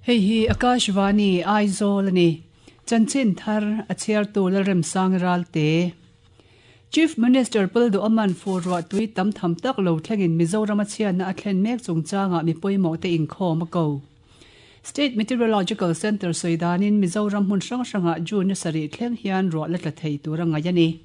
Hei hi Akashvani Aizawl a ni. Chanchin thar a chhiartu Lalremsang Ralte. Chief Minister Pulduaman fur ruah tui tam tham tak lo thlengin Mizoram a chhiatna a thlen mek chungchangah mi pawimawh te inkhawm a ko. State Meteorological Centre sawi danin Mizoram hmun hrang hrangah June ni sarih thleng hian ruah la tla thei tur a ngaih a ni.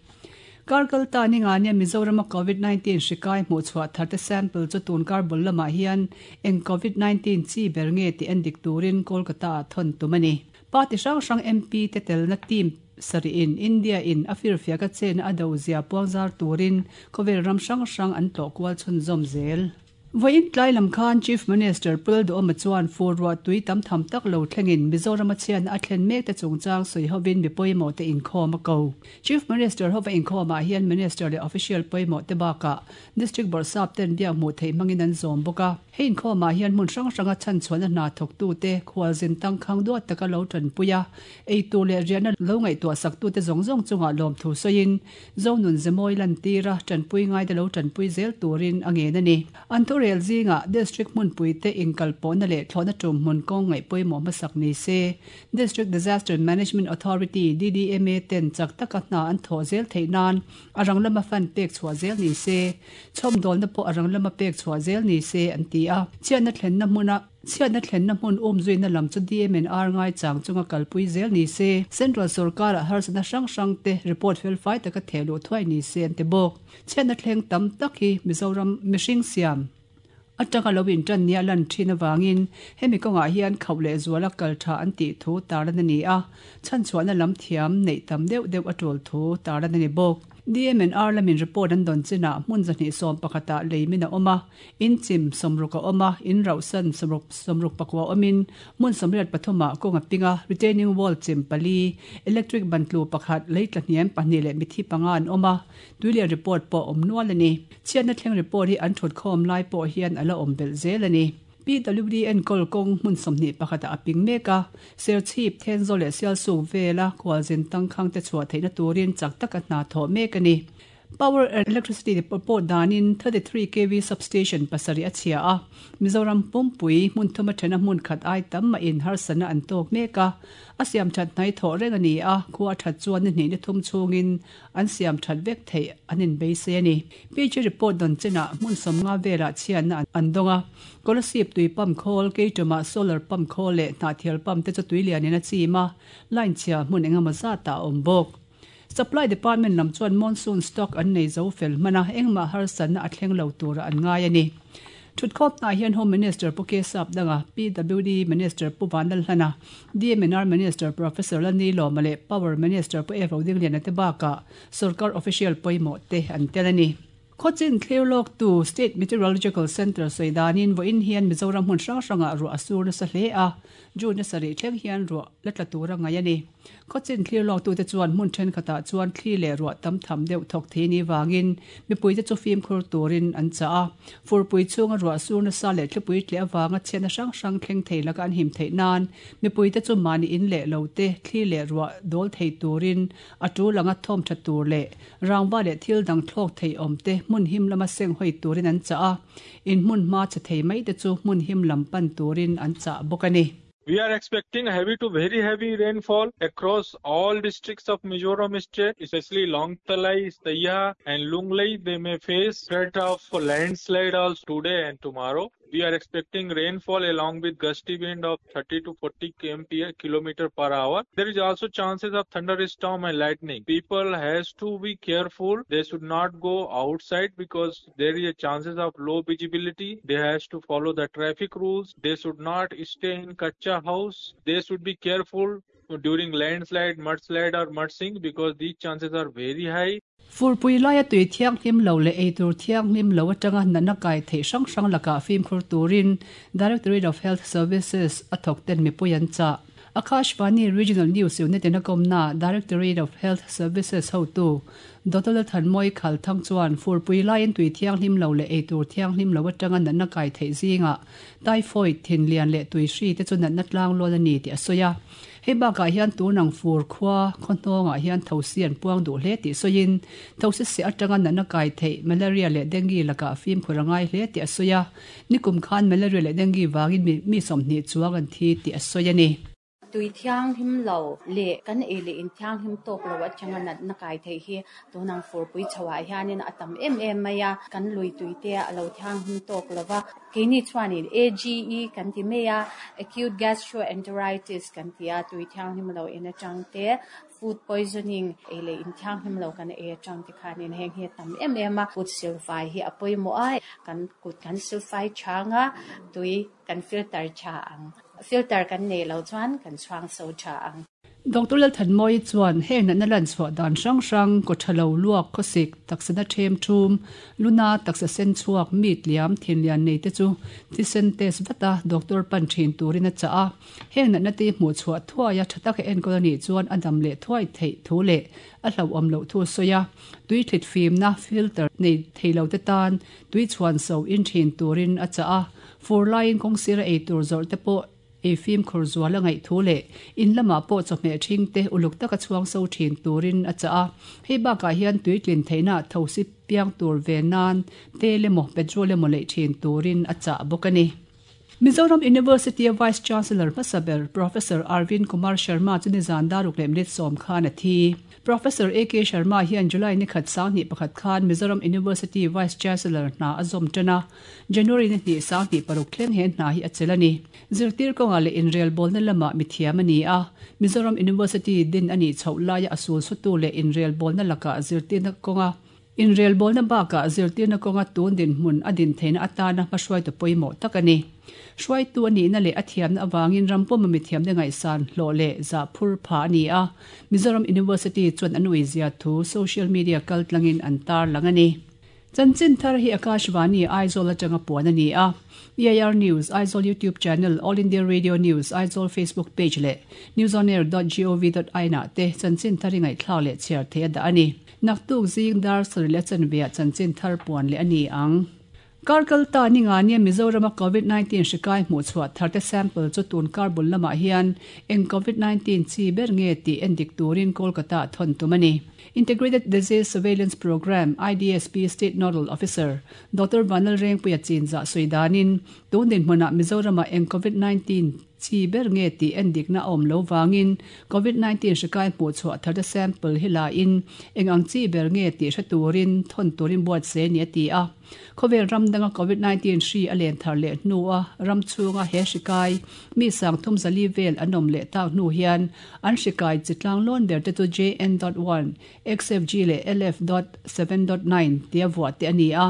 Kar kal ta ni nga nia Mizorama Covid 19 hri kai hmuhchhuah tharte sample chu tun kar bul lamah hian eng Covid 19 chi ber nge tih en dik turin Kolkata ah thawn tum a ni. Party hrang hrang MP te telna team sarih in India in a firfiak a chena a do zia puangzar turin khawvel ram hrang hrang an tlawh kual chhunzawm zel. Vawiin tlai lam khan Chief Minister Pu Duhoma chuan fur ruah tui tam tham tak lo thlengin Mizorama chhiatna a thlen mek te chungchang sawi hovin mi pawimawh te inkhawm a ko. Chief Minister hova inkhawmah hian Minister leh official pawimawh te bakah District Bawrhsap ten biak hmuh theih hmangin an zawm bawk a. Hei inkhawmah hian hmun hrang hranga chhanchhuahna hna thawktute khualzin tangkhang duat taka lo tanpui a, eitur leh riahna lo ngaihtuah saktute zawng zawng chungah lawmthu sawiin Zonun Zemawi lantira tanpui ngaite lo tanpui zel turin a ngen a ni. An thurel zingah District hmunpuite inkalpawhna leh thlawhna tum hmun kawng ngaih pawimawh hmasak ni se, District Disaster Management Authority, DDMA, ten chak taka hna an thawh zel theih nan a rang lama fund pek chhuah zel ni se, chhawmdawlna pawh a rang lama pek chhuah zel ni se an ti a. Chhiatna thlenna hmuna. Chhiatna thlenna hmun umzuina lam chu DMNR ngaichang chunga kalpui zel ni se, Central sorkarah harsatna hrang hrang te report felfai taka theh luh thuai ni se an ti bawk. Chhiatna thleng tam tak hi Mizoram mihring siam atanga lo intan nia lan thin avangin hemi kawngah hian khauh leh zuala kal tha an tih thu tarlan a ni a, chhanchhuahna lam thiam neih tam deuh deuh a tul thu tarlan a ni bawk. DMNR lamin report an dawn chinah hmun 211 ah leimin a awm a, In chim sawmruk a awm a, in rauhsan sawmruk sawmruk pakua awmin hmun 83 ah kawng a ping a, retaining wall chim pali, electric ban tlu pakhat, lei tla hniam pahnih leh mithi panga an awm a, tuilian report pawh a awm nual a ni. Chhiatna thleng report hi an thut khawm lai pawh hian a la awm belh zel a ni. PWD enkawl kawng hmun 21 ah a ping mek a, Serchhip, Thenzawl leh Sialsuk vela khualzin tangkhang te chhuah theihna turin chak taka hna thawh mek a ni. Power and Electricity Depot danin 33 kv substation pasarih a chhia a, Mizoram pumpui hmun thuma thena hmun khat ai tam mahin harsatna an tawk mek a, a siam that hnai thawh reng a ni a, khua a that chuan ni hnih ni thum chhungin an siam that vek theih an inbeisei a ni. PG report dawn chenah hmun 50 velah chhiatna an dawng a, Kolasib tui pump khawl, Keiṭumah solar pump khawl leh hnahthial pump te chu tui lianin a chim a, line chhia hmun engemaw zatah a awm bawk. Supply Department lam chuan monsoon stock an nei zo fel hman a, engmah harsatna a thleng lo turah an ngai a ni. Thutkhawpnaah hian Home Minister Pu Kesap Danga, PWD Minister Pu Vanlalhlana, DMNR Minister Professor Lani Lawma leh Power Minister Pu Evo Dingliana te bakah sorkar official pawimawh te an tel a ni. Khawchin thlir lawktu State Meteorological Centre sawi danin vawiin hian Mizoram hmun hrang hrangah ruah a sur nasa hle a, June a sarih thleng hian ruah la tla tur a ngaih a ni. Khawchin thlir lawktute chuan hmun thenkhatah chuan thli leh ruah tam tham deuh thawk thei ni vangin mipuite chu fimkhur turin an chah a. Furpui chhunga ruah sur nasa leh thlipui tleh avanga chhiatna hrang hrang thleng thei laka an him theih nan mipuite chu mahni in leh lo te thli leh ruah dawl thei turin a tul anga thawm tha tur leh rangva leh thil dang thlawk thei awm te hmun him lama seng hawi turin an chah a, in hmun hma che thei mai te chu hmun him lam pan turin an chah bawk a ni. We are expecting heavy to very heavy rainfall across all districts of Mizoram state, especially Lawngtlai, Saiha and Lunglei. They may face threat of landslide also today and tomorrow. We are expecting rainfall along with gusty wind of 30 to 40 kmph kilometer per hour. There is also chances of thunderstorm and lightning. People has to be careful. They should not go outside because there is a chances of low visibility. They has to follow the traffic rules. They should not stay in kacha house. They should be careful during landslide, mudslide or mudsing because these chances are very high. Furpui laia tui thianghlim lo leh eitur thianghlim lo atanga natna kai theih hrang hrang lakah fimkhur turin Directorate of Health Services a thawk ten mipui an chah. Akashvani Regional News Unit in a kawmna Directorate of Health Services hotu Doctor Lalthanmawi Khalthang chuan furpui laiin tui thianghlim lo leh eitur thianghlim lo atanga natna kai theih zingah typhoid, thinlian leh tuihri te chu natna tlanglawn a ni tih a sawi a. Hei bakah hian tunang fur khua khaw hnawngah hian thosi an puang duh hle tih sawiin, thosi seh atanga natna kai theih malaria leh dengue lakah fimkhur a ngai hle tih a sawi a. Nikum khan malaria leh dengue vangin mi 20 chuang an thi tih a sawi a ni. Tui thianghlim lo leh kan ei leh in thianghlim tawk lo atanga natna kai theih hi tunang furpui chhoah hianin a tam em em mai a, kan lui tui te a lo thianghlim tawk lo va. Keini chuanin AGE kan ti mai a, Acute Gastroenteritis kan ti a, tui thianghlim lo en atang te, food poisoning ei leh in thianghlim lo kan ei atang te khanin heng hi a tam em em a. Kut silfai hi a pawimawh a, kan kut kan silfai chang a, tui kan filter tha ang. Filter kan nei lo chuan kan chhuang so tha ang. Doctor Lalthanmawii chuan heng natna lan chhuah dan hrang hrang, kaw tha lo, luak, khawsik, taksana them thum, luna, taksa sen chhuak, mi tliam, thinlian nei te chu thisen test vat a doctor pan thin turin a chah a. Heng natna te hmuh chhuah thuai a tha taka enkawl a nih chuan a dam leh thuai theih thu leh a hlauhawm loh thu a sawi a. Tui thlit fimna, filter, nei thei lo te tan tui chhuan so in thin turin a chah a. Fur laiin kawngsira ei tur zawrh te pawh ei fimkhur zual a ngaih thu leh in lamah pawh chawhmeh ṭhing te uluk taka chhuang so ṭhin turin a chah a. Hei bakah hian tuitlin theihna thosi piang tur ve nan tel emaw petrol emaw leih ṭhin turin a chah bawk a ni. Mizoram University-a Vice Chancellor hmasa ber Professor Arvind Kumar Sharma chu nizan daruk leh minute 10 khan a thi. Professor AK Sharma hian July ni khat 21 khan Mizoram University Vice Chancellor hna a zawm ṭan a. January ni hnih 26 thleng he hna hi a chelh a ni. Zirtir kawngah leh inrelbawlna lamah mithiam a ni a, Mizoram University din a nih chhoh laia a sul sutu leh inrelbawlna lakah zirtirna kawnga inrelbawlna bakah zirtirna kawnga tun dinhmun a din theihna atana hmahruaitu pawimawh tak a ni. Hruaitu a nihna leh a thiamna avangin ram pawma mithiamte ngaihsan hlawh leh zah phur pha a ni a, Mizoram University chuan an uizia thu social media kaltlangin an tarlang a ni. Chanchin thar hi Akashvani, Aizawl atanga puan a ni a. EIR News, Aizawl YouTube Channel, All India Radio News, Aizawl Facebook Page leh newsonair dot gov dot in ah te chanchin thar hi ngaihthlak leh chhiar theih a dah a ni. Naktuk zing dar sarih leh chanve ah chanchin thar puan leh a ni ang. Kar kal ta ni nga nia Mizorama Covid 19 hri kai hmuh chhuah thar te sample chu tun kar bul lamah hian eng Covid 19 chi ber nge tih endik turin Kolkata ah thawn tum a ni. Integrated Disease Surveillance Programme, IDSP, State Nodal Officer, Doctor Vanlalrengpuia Chinzah sawi danin, tun dinhmunah Mizoramah eng Covid 19 chi ber nge tih endikna a awm lo vangin Covid 19 hri kai hmuh chhuah tharte sample hi la in eng ang chi ber nge tih hre turin thawn turin buatsaih a ni a ti a. Khawvel ram danga Covid 19 hri a len thar leh hnua ram chhunga he hri kai mi 34 vel an awm leh tak hnu hian an hri kai chi tlang lawn ber te chu JN dot one, XFG leh LF dot seven dot nine tia vuah te a ni a.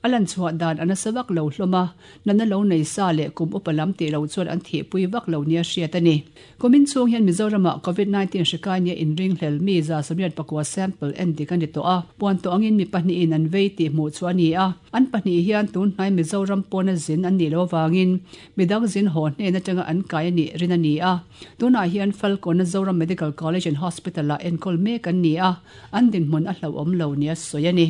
A lan chhuah dan a nasa vak lo hlawm a, natna lo nei sa leh kum upa lam tih lo chuan an thihpui vak lo nia hriat a ni. Kumin chhung hian Mizoramah Covid 19 hri kai nia inringhlel mi 189 sample en dik a ni tawh a, puan tawh angin mi pahnihin an vei tih hmuh chu a ni a. An pahnih hian tun hnai Mizoram pawna zin an nih loh avangin midang zin haw hnen atanga an kai a nih rin a ni a. Tunah hian Falkawna Zoram Medical College and Hospital-ah enkawl mek an ni a, an dinhmun a hlauhawm lo nia sawi a ni.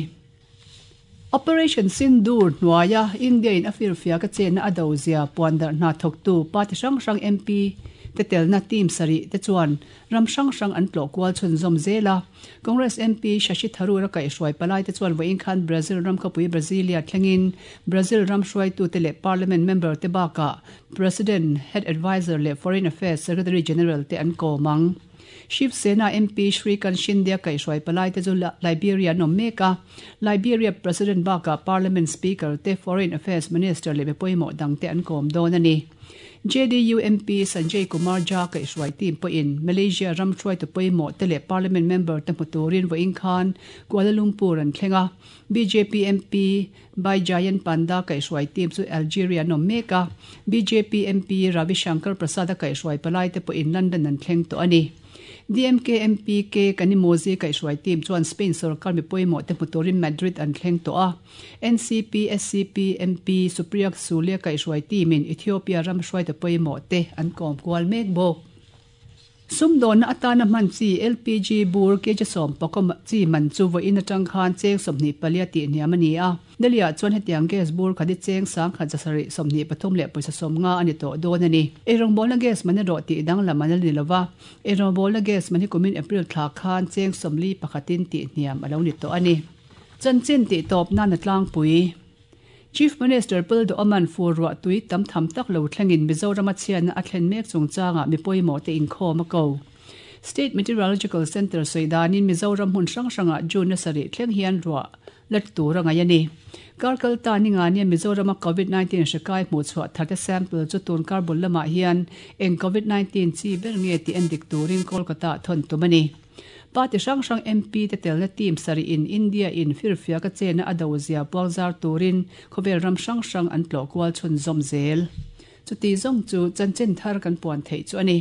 Operation Sindoor hnuaia India-in a firfiak a chenna a do zia puan darh hna thawktu party hrang hrang MP te telna team sarih te chuan ram hrang hrang an tlawh kual chhunzawm zel a. Congress MP Shashi Tharoor a kaihhruai palai te chuan vawiin khan Brazil ram khawpui Brasilia thlengin Brazil ram hruaitute leh Parliament member te bakah President, Head Adviser leh Foreign Affairs Secretary General te an kawm ang. Shiv Sena MP Shrikant Shinde a kaihhruai palai te chu Liberia an awm mek a. Liberia President bakah Parliament Speaker te, Foreign Affairs Minister leh mi pawimawh dang te an kawm dawn a ni. JDU MP Sanjay Kumar Jha kaihhruai team pawhin Malaysia ram hruaitu pawimawh te leh Parliament member te hmu turin vawiin khan Kuala Lumpur an thleng a. Bjp MP Baijayant Panda kaihhruai team chu Algeria an awm mek a, bjp MP Ravi Shankar Prasad a kaihhruai palai te pawhin London an thleng tawh a ni. DMK MP K Kanimozhi kaihhruai team chuan Spain sorkar mi pawimawh te hmu turin Madrid an thleng tawh a, NCP SCP MP Supriya Sule kaihhruai team in Ethiopia ram hruaitu pawimawh te an kawm kual mek bawk. Sumdawnna atana hman chi LPG bur kg 10 chi man chu vawiin atang khan cheng 24 tih hniam a ni a. Delhi-ah chuan hetiang gas bur khat hi cheng 1723 leh pawisa 50 a ni tawh dawn a ni. Eirawngbawlna gas man erawh tih danglam an la ni lova, eirawngbawlna gas man hi kumin April thla khan cheng 41 in tih hniam a lo ni tawh a ni. Chanchin tih tawp nan a tlangpui. Chief Minister Pul Duhawman fur ruah tui tam tham tak lo thlengin Mizorama chhiatna a thlen mek chungchangah mi pawimawh te inkhawm a ko. State Meteorological Centre sawi danin Mizoram hmun hrang hrangah June a sarih thleng hian ruah la tur a ngaih a ni. Kar kal ta ni nga nia Mizorama Covid 19 hri kai hmuhchhuah tharte sample chu tun kar bul lamah hian eng Covid 19 chi ber nge tih endik turin Kolkata ah thawn tum a ni. Party hrang hrang MP te telna team sarih in India in firfiak a chena a do zia puang zar turin khawvel ram hrang hrang an tlawh kual chhunzawm zel. Chuti zawng chu chanchin thar kan puan theih chu a ni.